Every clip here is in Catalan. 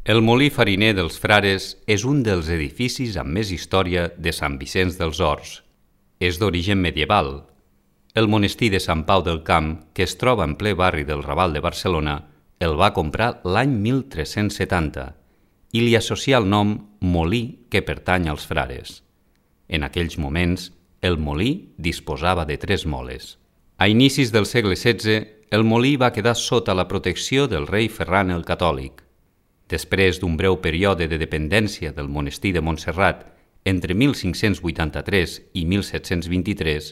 El molí fariner dels Frares és un dels edificis amb més història de Sant Vicenç dels Horts. És d'origen medieval. El monestir de Sant Pau del Camp, que es troba en ple barri del Raval de Barcelona, el va comprar l'any 1370 i li associa el nom molí que pertany als frares. En aquells moments, el molí disposava de 3 moles. A inicis del segle XVI, el molí va quedar sota la protecció del rei Ferran el Catòlic. Després d'un breu període de dependència del monestir de Montserrat entre 1583 i 1723,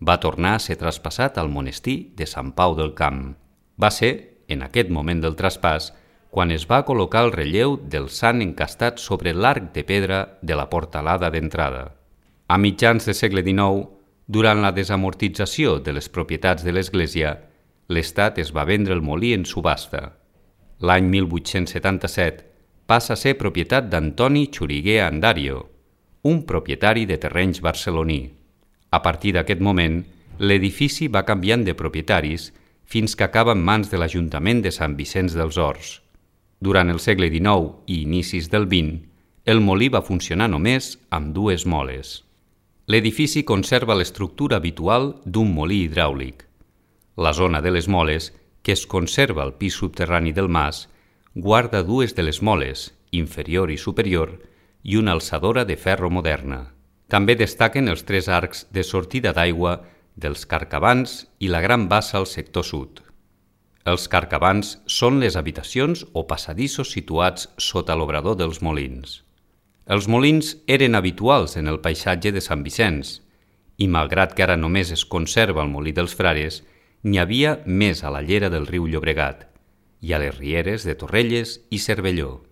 va tornar a ser traspassat al monestir de Sant Pau del Camp. Va ser, en aquest moment del traspàs, quan es va col·locar el relleu del sant encastat sobre l'arc de pedra de la portalada d'entrada. A mitjans del segle XIX, durant la desamortització de les propietats de l'Església, l'Estat es va vendre el molí en subhasta. L'any 1877 passa a ser propietat d'Antoni Xuriguer Andario, un propietari de terrenys barceloní. A partir d'aquest moment, l'edifici va canviant de propietaris fins que acaba en mans de l'Ajuntament de Sant Vicenç dels Horts. Durant el segle XIX i inicis del XX, el molí va funcionar només amb 2 moles. L'edifici conserva l'estructura habitual d'un molí hidràulic. La zona de les moles, que es conserva al pis subterrani del mas, guarda 2 de les moles, inferior i superior, i una alçadora de ferro moderna. També destaquen els 3 arcs de sortida d'aigua dels carcabans i la gran bassa al sector sud. Els carcabans són les habitacions o passadissos situats sota l'obrador dels molins. Els molins eren habituals en el paisatge de Sant Vicenç i, malgrat que ara només es conserva el molí dels Frares, n'hi havia més a la llera del riu Llobregat i a les rieres de Torrelles i Cervelló.